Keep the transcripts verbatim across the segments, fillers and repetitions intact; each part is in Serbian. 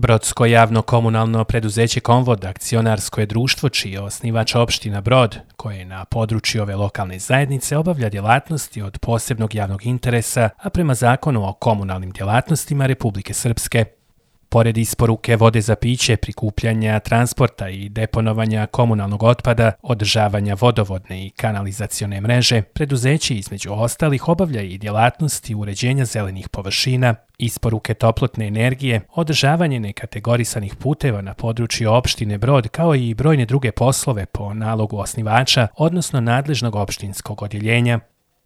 Brodsko javno komunalno preduzeće Konvod akcionarsko je društvo čiji je osnivač opština Brod, koje na području ove lokalne zajednice obavlja djelatnosti od posebnog javnog interesa, a prema zakonu o komunalnim djelatnostima Republike Srpske. Pored isporuke vode za piće, prikupljanja, transporta i deponovanja komunalnog otpada, održavanja vodovodne i kanalizacione mreže, preduzeće između ostalih obavlja i djelatnosti uređenja zelenih površina, isporuke toplotne energije, održavanje nekategorisanih puteva na području opštine Brod, kao i brojne druge poslove po nalogu osnivača, odnosno nadležnog opštinskog odjeljenja.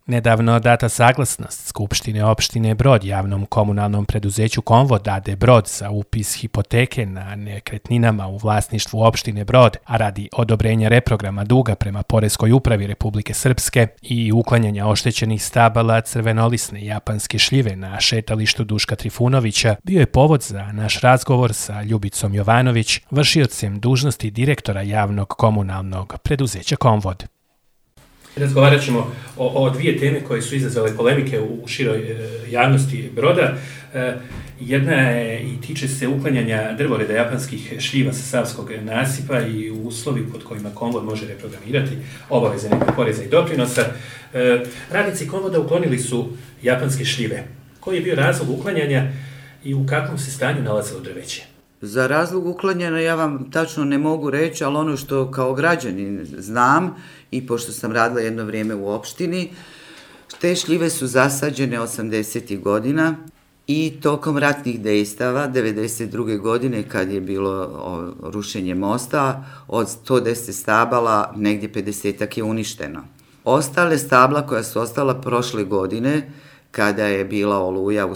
Nedavno data saglasnost Skupštine opštine Brod javnom komunalnom preduzeću Konvod a d Brod za upis hipoteke na nekretninama u vlasništvu opštine Brod, a radi odobrenja reprograma duga prema Poreskoj upravi Republike Srpske i uklanjanja oštećenih stabala crvenolisne japanske šljive na šetalištu Duška Trifunovića, bio je povod za naš razgovor sa Ljubicom Jovanović, vršiocem dužnosti direktora javnog komunalnog preduzeća Konvod. Razgovarat ćemo o, o dvije teme koje su izazvale polemike u, u široj e, javnosti Broda. E, jedna je i tiče se uklanjanja drvoreda japanskih šljiva sa Savskog nasipa i uslovi pod kojima Konvod može reprogramirati obaveze nekog poreza i doprinosa. E, radnici Konvoda uklonili su japanske šljive. Koji je bio razlog uklanjanja i u kakvom se stanju nalazilo drveće? Za razlog uklanjanja ja vam tačno ne mogu reći, ali ono što kao građanin znam i pošto sam radila jedno vrijeme u opštini, te šljive su zasađene osamdesetih godina i tokom ratnih dejstava devedeset druge godine kad je bilo o, rušenje mosta, od sto deset stabala negdje pedesetak je uništeno. Ostale stabla koja su ostala prošle godine, kada je bila oluja u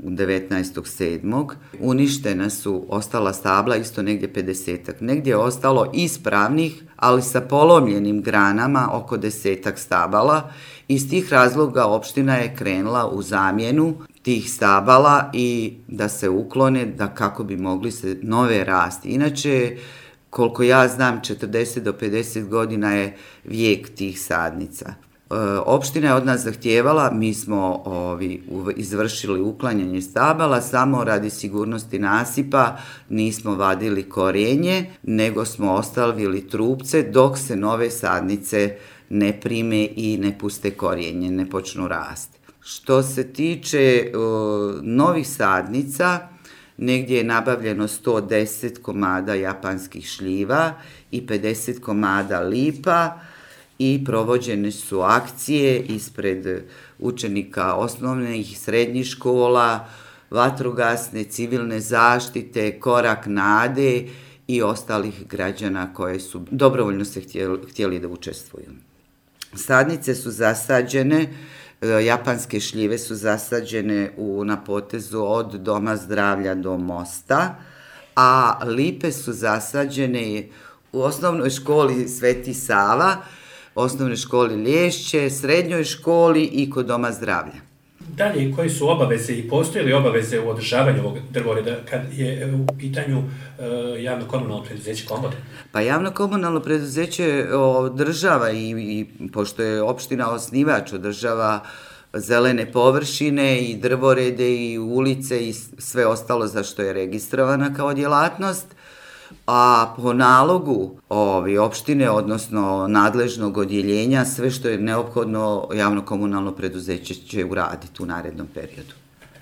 devetnaestog sedmog uništena su ostala stabla isto negdje pedesetak. Negdje je ostalo ispravnih, ali sa polomljenim granama oko desetak stabala. Iz tih razloga opština je krenula u zamjenu tih stabala i da se uklone, da kako bi mogli se nove rasti. Inače, koliko ja znam, četrdeset do pedeset godina je vijek tih sadnica. Opština je od nas zahtijevala, mi smo ovi, izvršili uklanjanje stabala, samo radi sigurnosti nasipa nismo vadili korenje, nego smo ostavili trupce dok se nove sadnice ne prime i ne puste korijenje, ne počnu rasti. Što se tiče o, novih sadnica, negdje je nabavljeno sto deset komada japanskih šljiva i pedeset komada lipa, i provođene su akcije ispred učenika osnovnih i srednjih škola, vatrogasne, civilne zaštite, Korak nade i ostalih građana koje su dobrovoljno se htjeli, htjeli da učestvuju. Sadnice su zasađene, japanske šljive su zasađene u, na potezu od Doma zdravlja do mosta, a lipe su zasađene u osnovnoj školi Sveti Sava, osnovnoj školi Lješće, srednjoj školi i kod Doma zdravlja. Dalje, koje su obaveze i postoje li obaveze u održavanju ovog drvoreda kad je u pitanju e, javno komunalno preduzeće Konvod? Pa javno komunalno preduzeće održava i, i pošto je opština osnivač, održava zelene površine i drvorede i ulice i sve ostalo za što je registrovana kao djelatnost. A po nalogu ovi opštine, odnosno nadležnog odjeljenja, sve što je neophodno javno-komunalno preduzeće će uraditi u narednom periodu.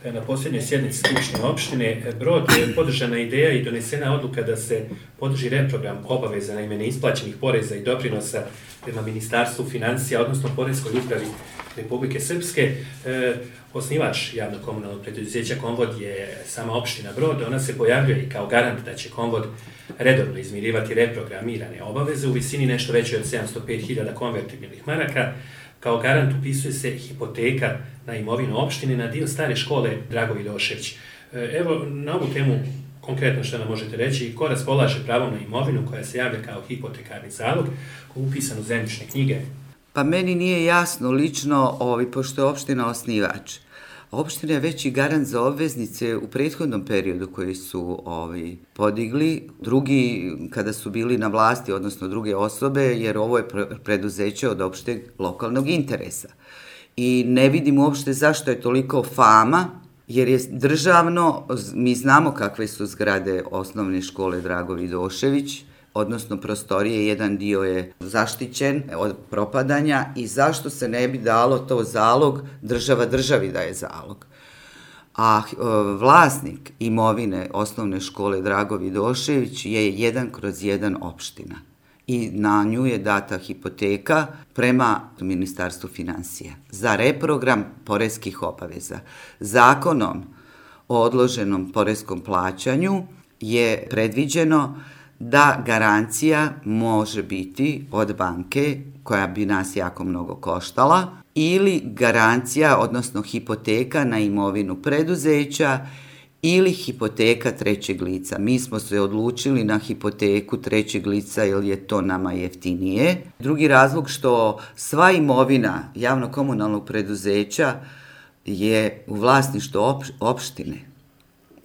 Na posljednjoj sjednici Skupštine opštine Brod je podržana ideja i donesena odluka da se podrži reprogram obaveza na ime neisplaćenih poreza i doprinosa prema Ministarstvu financija, odnosno Poreskoj upravi Republike Srpske. E, osnivač javno-komunalnog preduzeća Konvod je sama opština Brod. Ona se pojavljuje i kao garant da će Konvod redovno izmirivati reprogramirane obaveze u visini nešto veće od sedamsto pet hiljada konvertibilnih maraka. Kao garant upisuje se hipoteka na imovinu opštine na dio stare škole Drago Vidošević. Evo, na ovu temu konkretno što nam možete reći, ko raspolaže pravom na imovinu koja se javlja kao hipotekarni zalog, koji je upisan u zemljišne knjige? Pa meni nije jasno lično, ovi, pošto je opština osnivač. Opština je već i garant za obveznice u prethodnom periodu koji su ovi, podigli. Drugi, kada su bili na vlasti, odnosno druge osobe, jer ovo je preduzeće od opšteg lokalnog interesa. I ne vidim uopšte zašto je toliko fama jer je državno, mi znamo kakve su zgrade osnovne škole Drago Vidošević, odnosno prostorije, jedan dio je zaštićen od propadanja i zašto se ne bi dalo to zalog, država državi daje zalog. A e, vlasnik imovine osnovne škole Drago Vidošević je jedan kroz jedan opština i na nju je data hipoteka prema Ministarstvu financija za reprogram poreskih obaveza. Zakonom o odloženom poreskom plaćanju je predviđeno da garancija može biti od banke koja bi nas jako mnogo koštala ili garancija, odnosno hipoteka na imovinu preduzeća ili hipoteka trećeg lica. Mi smo se odlučili na hipoteku trećeg lica jer je to nama jeftinije. Drugi razlog što sva imovina javno-komunalnog preduzeća je u vlasništvu opštine.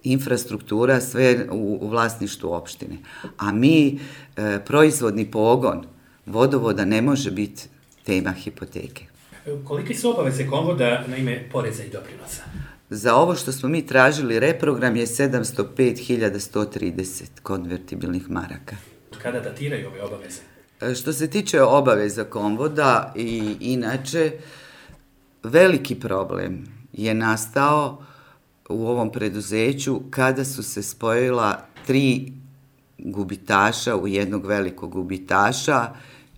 Infrastruktura sve u, u vlasništvu opštine. A mi, e, proizvodni pogon vodovoda ne može biti tema hipoteke. Koliki su obaveze Konvoda na ime poreza i doprinosa? Za ovo što smo mi tražili reprogram je sedamsto pet hiljada sto trideset konvertibilnih maraka. Kada datiraju ove obaveze? E, što se tiče obaveza Konvoda i inače, veliki problem je nastao u ovom preduzeću kada su se spojila tri gubitaša u jednog velikog gubitaša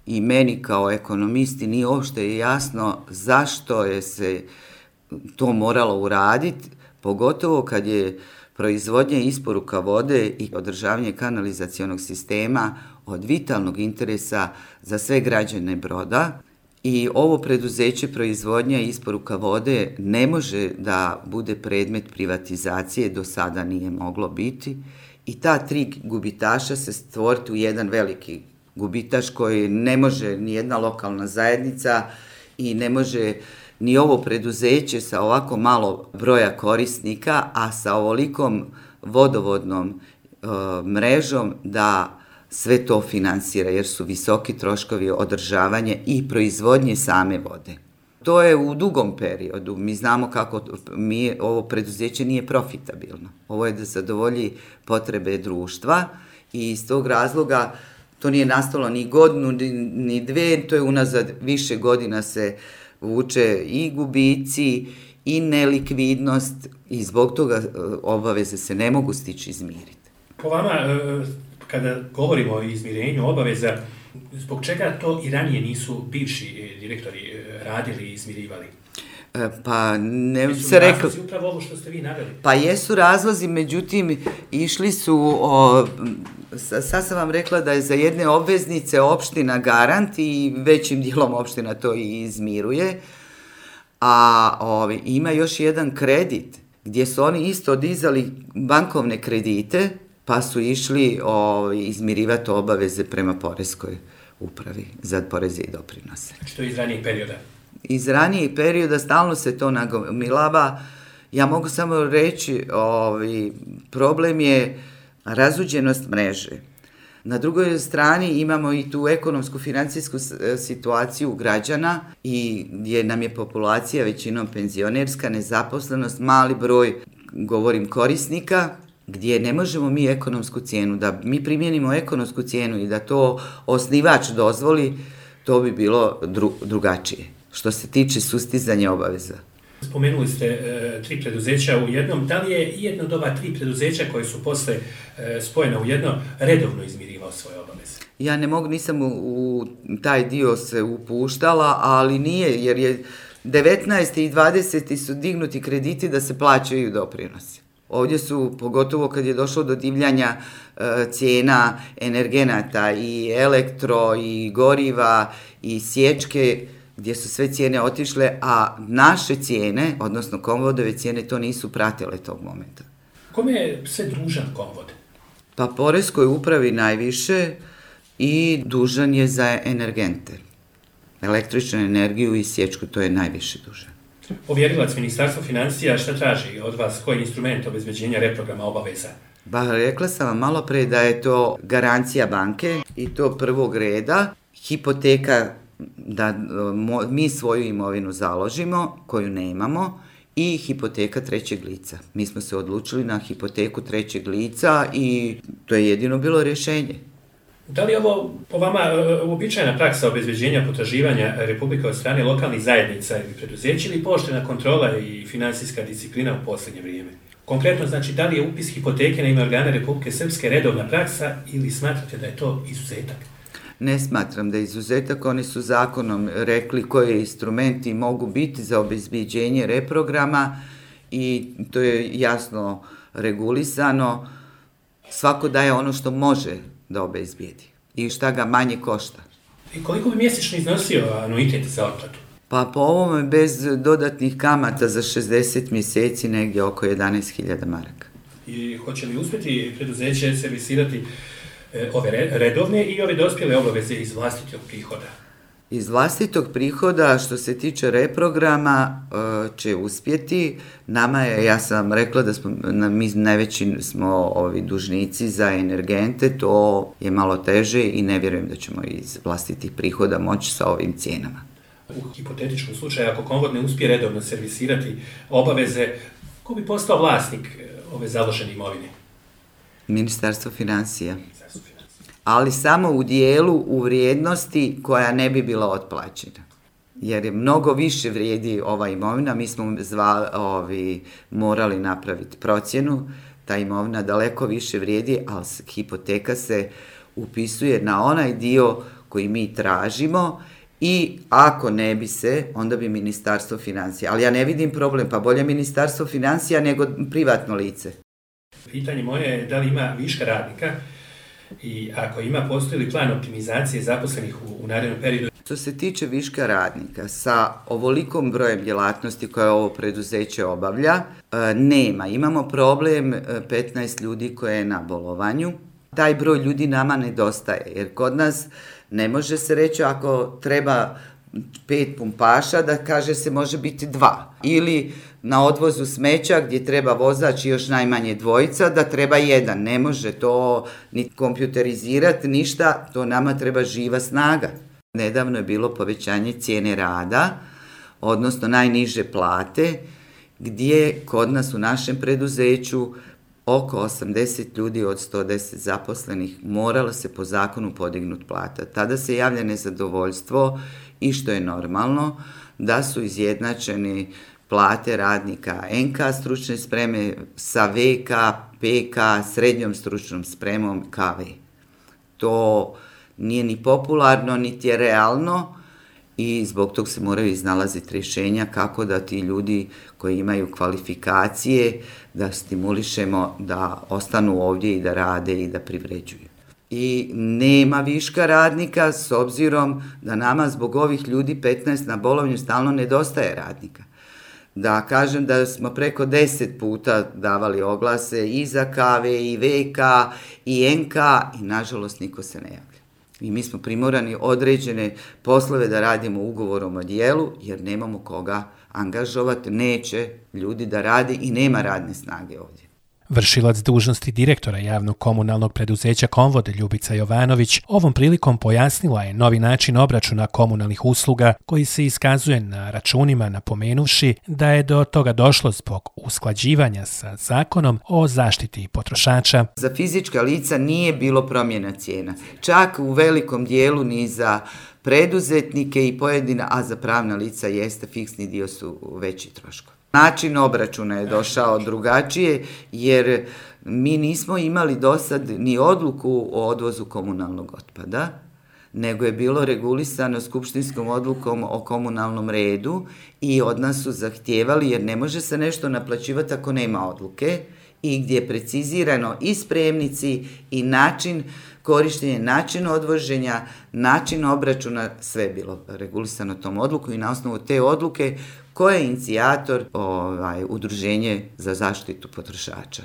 i meni kao ekonomisti nije uopšte jasno zašto je se to moralo uraditi, pogotovo kad je proizvodnja i isporuka vode i održavanje kanalizacionog sistema od vitalnog interesa za sve građane Broda. I ovo preduzeće proizvodnja i isporuka vode ne može da bude predmet privatizacije, do sada nije moglo biti. I ta tri gubitaša se stvoriti u jedan veliki gubitaš koji ne može ni jedna lokalna zajednica i ne može ni ovo preduzeće sa ovako malo broja korisnika, a sa ovolikom vodovodnom e, mrežom da sve to finansira, jer su visoki troškovi održavanja i proizvodnje same vode. To je u dugom periodu. Mi znamo kako mi, ovo preduzeće nije profitabilno. Ovo je da zadovolji potrebe društva i iz tog razloga to nije nastalo ni godinu, ni, ni dve, to je unazad više godina se vuče i gubici i nelikvidnost i zbog toga obaveze se ne mogu stići izmiriti. Po vama, kada govorimo o izmirenju obaveza, zbog čega to i ranije nisu bivši direktori radili i izmirivali? Pa ne jesu se rekli. Razlozi upravo ovo što ste vi naveli? Pa jesu razlozi, međutim išli su, o, sad sam vam rekla da je za jedne obveznice opština garant i većim dijelom opština to i izmiruje, a o, ima još jedan kredit gdje su oni isto dizali bankovne kredite pa su išli o, izmirivati obaveze prema poreskoj upravi za poreze i doprinose. Što je iz ranijeg perioda? Iz ranijeg perioda stalno se to nagomilava. Ja mogu samo reći, ovaj, problem je razuđenost mreže. Na drugoj strani imamo i tu ekonomsku financijsku situaciju građana i gdje nam je populacija većinom penzionerska, nezaposlenost, mali broj, govorim, korisnika, gdje ne možemo mi ekonomsku cijenu, da mi primjenimo ekonomsku cijenu i da to osnivač dozvoli, to bi bilo dru, drugačije. Što se tiče sustizanja obaveza. Spomenuli ste e, tri preduzeća u jednom. Da li je jedno od ova tri preduzeća koje su posle e, spojena u jedno redovno izmirivao svoje obaveze? Ja ne mogu, nisam u, u taj dio se upuštala, ali nije, jer je devetnaesti i dvadeseti su dignuti krediti da se plaćaju doprinosi. Ovdje su, pogotovo kad je došlo do divljanja e, cijena energenata i elektro i goriva i sječke, gdje su sve cijene otišle, a naše cijene, odnosno Konvodove cijene, to nisu pratile tog momenta. Kome je sve dužan Konvod? Pa poreskoj upravi najviše i dužan je za energente. Električnu energiju i sječku, to je najviše dužan. Povjerilac Ministarstva financija, šta traži od vas, koji je instrument obezbeđenja reprograma obaveza? Ba, rekla sam vam malo pre da je to garancija banke i to prvog reda, hipoteka da mo, mi svoju imovinu založimo, koju nemamo, i hipoteka trećeg lica. Mi smo se odlučili na hipoteku trećeg lica i to je jedino bilo rješenje. Da li je ovo po vama uobičajena praksa obezbeđenja potraživanja Republike od strane lokalnih zajednica ili preduzeća ili pooštrena kontrola i finansijska disciplina u posljednje vrijeme? Konkretno, znači, da li je upis hipoteke na ime organa Republike Srpske redovna praksa ili smatrate da je to izuzetak? Ne smatram da je izuzetak, oni su zakonom rekli koji instrumenti mogu biti za obezbeđenje reprograma i to je jasno regulisano. Svako daje ono što može da obezbijedi i šta ga manje košta. I koliko bi mjesečno iznosio anuitet za otplatu? Pa po ovome bez dodatnih kamata za šezdeset mjeseci negdje oko jedanaest hiljada maraka. I hoće li uspjeti preduzeće servisirati ove redovne i ove dospjele obaveze iz vlastitog prihoda? Iz vlastitog prihoda, što se tiče reprograma, će uspjeti. Nama je, ja sam rekla da smo, mi najveći smo ovi dužnici za energente, to je malo teže i ne vjerujem da ćemo iz vlastitih prihoda moći sa ovim cijenama. U hipotetičkom slučaju, ako Konvod ne uspije redovno servisirati obaveze, ko bi postao vlasnik ove založene imovine? Ministarstvo financija. Ali samo u dijelu u vrijednosti koja ne bi bila otplaćena. Jer je mnogo više vrijedi ova imovina, mi smo zva, ovi, morali napraviti procjenu, ta imovina daleko više vrijedi, ali hipoteka se upisuje na onaj dio koji mi tražimo i ako ne bi se, onda bi Ministarstvo financija. Ali ja ne vidim problem, pa bolje Ministarstvo financija nego privatno lice. Pitanje moje je da li ima viška radnika i ako ima, postoji li plan optimizacije zaposlenih u, u narednom periodu? Što se tiče viška radnika, sa ovolikom brojem djelatnosti koje ovo preduzeće obavlja, nema. Imamo problem petnaest ljudi koje je na bolovanju. Taj broj ljudi nama nedostaje, jer kod nas ne može se reći ako treba pet pumpaša, da kaže se može biti dva. Ili na odvozu smeća gdje treba vozač i još najmanje dvojica, da treba jedan. Ne može to ni kompjuterizirati, ništa, to nama treba živa snaga. Nedavno je bilo povećanje cijene rada, odnosno najniže plate, gdje kod nas u našem preduzeću oko osamdeset ljudi od sto deset zaposlenih moralo se po zakonu podignuti plata. Tada se javlja nezadovoljstvo i što je normalno da su izjednačeni plate radnika en ka stručne spreme sa ve ka, pe ka, srednjom stručnom spremom ka ve. To nije ni popularno, niti je realno i zbog tog se moraju iznalaziti rješenja kako da ti ljudi koji imaju kvalifikacije, da stimulišemo da ostanu ovdje i da rade i da privređuju. I nema viška radnika s obzirom da nama zbog ovih ljudi petnaest na bolovanju stalno nedostaje radnika. Da kažem da smo preko deset puta davali oglase i za ka ve i ve ka i en ka i nažalost niko se ne javlja. I mi smo primorani određene poslove da radimo ugovorom o djelu jer nemamo koga angažovati, neće ljudi da radi i nema radne snage ovdje. Vršilac dužnosti direktora javnog komunalnog preduzeća Konvod Ljubica Jovanović ovom prilikom pojasnila je novi način obračuna komunalnih usluga koji se iskazuje na računima, napomenuvši da je do toga došlo zbog usklađivanja sa zakonom o zaštiti potrošača. Za fizička lica nije bilo promjena cijena, čak u velikom dijelu ni za preduzetnike i pojedina, a za pravna lica jeste, fiksni dio su veći troškovi. Način obračuna je došao drugačije jer mi nismo imali do sad ni odluku o odvozu komunalnog otpada, nego je bilo regulisano skupštinskom odlukom o komunalnom redu i od nas su zahtijevali jer ne može se nešto naplaćivati ako nema odluke i gdje je precizirano i spremnici i način korištenja, način odvoženja, način obračuna, sve je bilo regulisano tom odluku i na osnovu te odluke ko je inicijator ovaj, udruženje za zaštitu potrošača.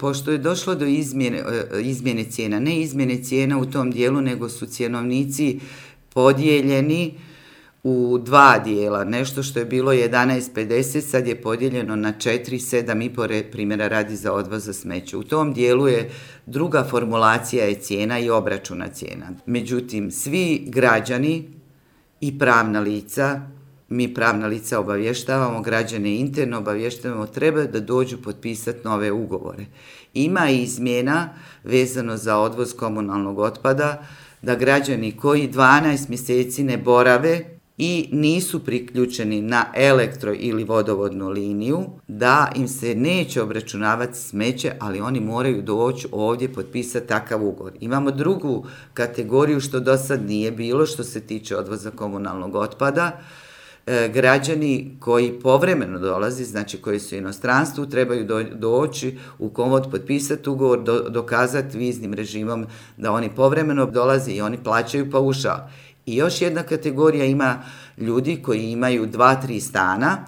Pošto je došlo do izmjene, izmjene cijena, ne izmjene cijena u tom dijelu, nego su cjenovnici podijeljeni u dva dijela. Nešto što je bilo jedanaest pedeset, sad je podijeljeno na četiri, sedam i po primjera radi za odvoz za smeće. U tom dijelu je druga formulacija je cijena i obračuna cijena. Međutim, svi građani i pravna lica mi pravna lica obavještavamo, građane interno obavještavamo, treba da dođu potpisati nove ugovore. Ima izmjena vezano za odvoz komunalnog otpada, da građani koji dvanaest mjeseci ne borave i nisu priključeni na elektro ili vodovodnu liniju, da im se neće obračunavati smeće, ali oni moraju doći ovdje potpisati takav ugovor. Imamo drugu kategoriju što do sad nije bilo, što se tiče odvoza komunalnog otpada. E, građani koji povremeno dolazi, znači koji su u inostranstvu, trebaju do, doći u Komvod, potpisati ugovor, do, dokazati viznim režimom da oni povremeno dolaze i oni plaćaju paušal. I još jedna kategorija ima ljudi koji imaju dva, tri stana,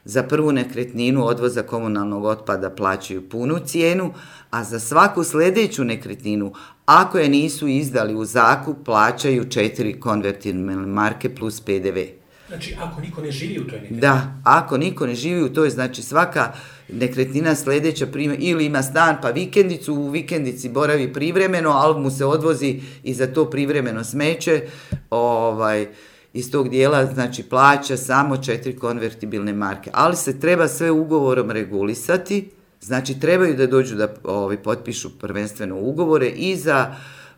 za prvu nekretninu odvoza komunalnog otpada plaćaju punu cijenu, a za svaku sljedeću nekretninu, ako je nisu izdali u zakup, plaćaju četiri konvertibilne marke plus pe de ve. Znači, ako niko ne živi u toj nekretnini? Da, ako niko ne živi u toj, znači svaka nekretnina sljedeća prima, ili ima stan pa vikendicu, u vikendici boravi privremeno, ali mu se odvozi i za to privremeno smeće, ovaj, iz tog dijela, znači plaća samo četiri konvertibilne marke. Ali se treba sve ugovorom regulisati, znači trebaju da dođu da ovaj, potpišu prvenstveno ugovore i za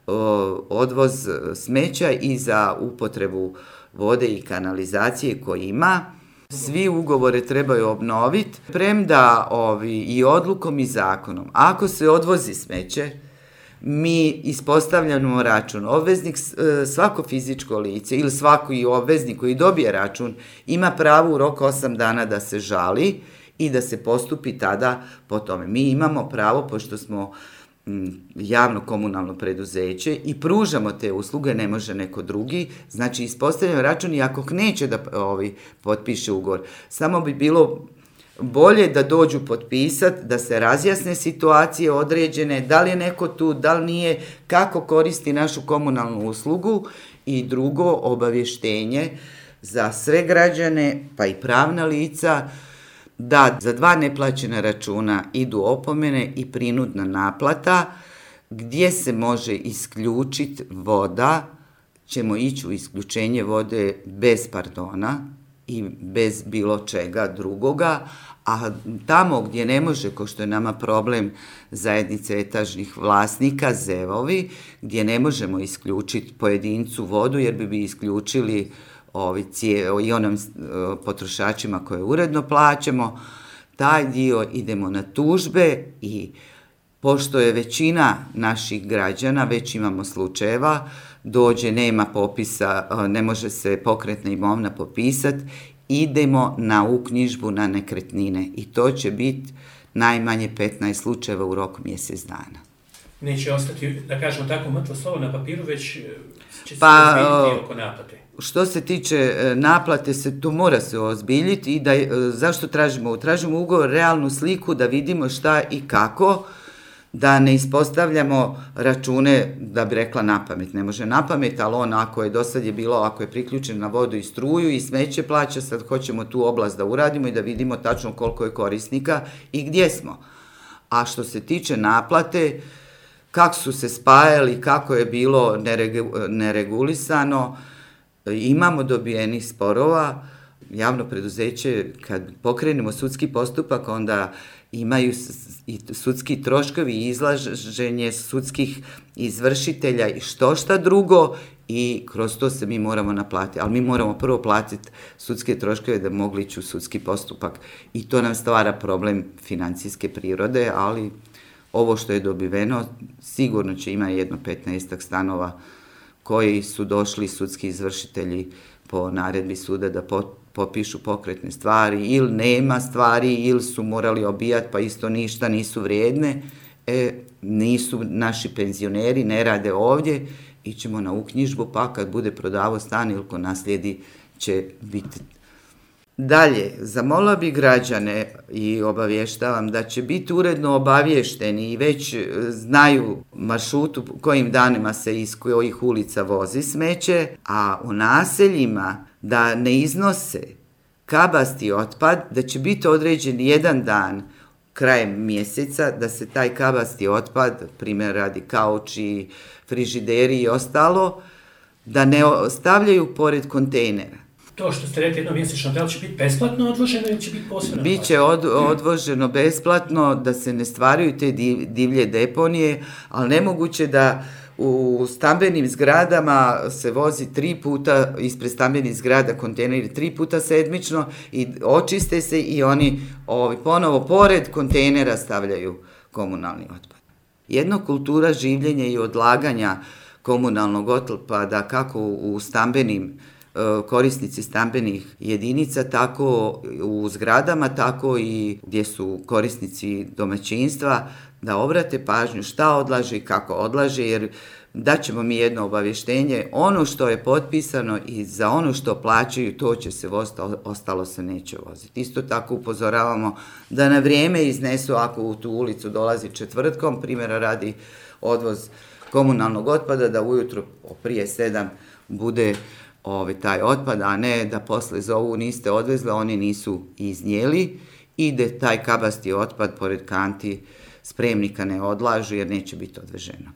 o, odvoz smeća i za upotrebu vode i kanalizacije koji ima. Svi ugovore trebaju obnoviti, premda ovi, i odlukom i zakonom. Ako se odvozi smeće, mi ispostavljamo račun. Obveznik, svako fizičko lice ili svaki obveznik koji dobije račun ima pravo u roku osam dana da se žali i da se postupi tada po tome. Mi imamo pravo, pošto smo javno komunalno preduzeće i pružamo te usluge, ne može neko drugi, znači ispostavljamo račun i ako neće da ovi, potpiše ugovor, samo bi bilo bolje da dođu potpisati, da se razjasne situacije određene, da li je neko tu, da li nije, kako koristi našu komunalnu uslugu i drugo obavještenje za sve građane, pa i pravna lica, da za dva neplaćena računa idu opomene i prinudna naplata, gdje se može isključiti voda, ćemo ići u isključenje vode bez pardona i bez bilo čega drugoga, a tamo gdje ne može, ko što je nama problem zajednice etažnih vlasnika, zevovi, gdje ne možemo isključiti pojedincu vodu jer bi bi isključili ovi cije, i onim potrošačima koje uredno plaćamo, taj dio idemo na tužbe i pošto je većina naših građana, već imamo slučajeva, dođe, nema popisa, ne može se pokretna imovina popisati, idemo na uknjižbu na nekretnine i to će biti najmanje petnaest slučajeva u roku mjesec dana. Neće ostati, da kažemo tako, mrtvo slovo na papiru, već će se pa, ozbiljiti oko naplate. Što se tiče naplate, se to mora se ozbiljiti i da, zašto tražimo? Tražimo ugovor, realnu sliku da vidimo šta i kako, da ne ispostavljamo račune, da bi rekla napamet. Ne može napamet, ali on ako je do sad je bilo, ako je priključen na vodu i struju i smeće plaća, sad hoćemo tu oblast da uradimo i da vidimo tačno koliko je korisnika i gdje smo. A što se tiče naplate, kako su se spajali, kako je bilo neregu, neregulisano, imamo dobijenih sporova, javno preduzeće, kad pokrenemo sudski postupak, onda imaju i sudski troškovi i izlaženje sudskih izvršitelja i što šta drugo i kroz to se mi moramo naplatiti. Ali mi moramo prvo platiti sudske troškove da mogli ići u sudski postupak i to nam stvara problem financijske prirode, ali ovo što je dobiveno sigurno će ima jedno petnaestak stanova koji su došli sudski izvršitelji po naredbi suda da popišu pokretne stvari ili nema stvari ili su morali obijati pa isto ništa nisu vrijedne, e, nisu naši penzioneri, ne rade ovdje, ićemo na uknjižbu pa kad bude prodavo stan ili ko naslijedi će biti. Dalje, zamolila bi građane i obavještavam da će biti uredno obavješteni i već znaju maršrutu kojim danima se iz kojih ulica vozi smeće, a u naseljima da ne iznose kabasti otpad, da će biti određen jedan dan krajem mjeseca da se taj kabasti otpad, primjer radi kauči, frižideri i ostalo, da ne ostavljaju pored kontejnera. To što ste rekli jednomjesečno, da li će biti besplatno odvoženo ili će biti posebno? Biće od, odvoženo besplatno, da se ne stvaraju te divlje deponije, ali nemoguće da u stambenim zgradama se vozi tri puta ispred stambenih zgrada kontejneri tri puta sedmično i očiste se i oni ovi, ponovo pored kontejnera stavljaju komunalni otpad. Jedna kultura življenja i odlaganja komunalnog otpada kako u stambenim korisnici stambenih jedinica, tako u zgradama, tako i gdje su korisnici domaćinstva, da obrate pažnju šta odlaže i kako odlaže, jer daćemo mi jedno obavještenje, ono što je potpisano i za ono što plaćaju, to će se voziti, ostalo se neće voziti. Isto tako upozoravamo da na vrijeme iznesu, ako u tu ulicu dolazi četvrtkom, primjera radi odvoz komunalnog otpada, da ujutro prije sedam bude Ovi, taj otpad, a ne da posle zovu niste odvezli, oni nisu iznijeli i da taj kabasti otpad pored kanti spremnika ne odlažu jer neće biti odveženo.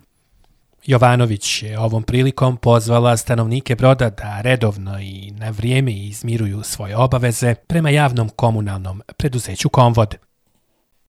Jovanović je ovom prilikom pozvala stanovnike Broda da redovno i na vrijeme izmiruju svoje obaveze prema javnom komunalnom preduzeću Komvod.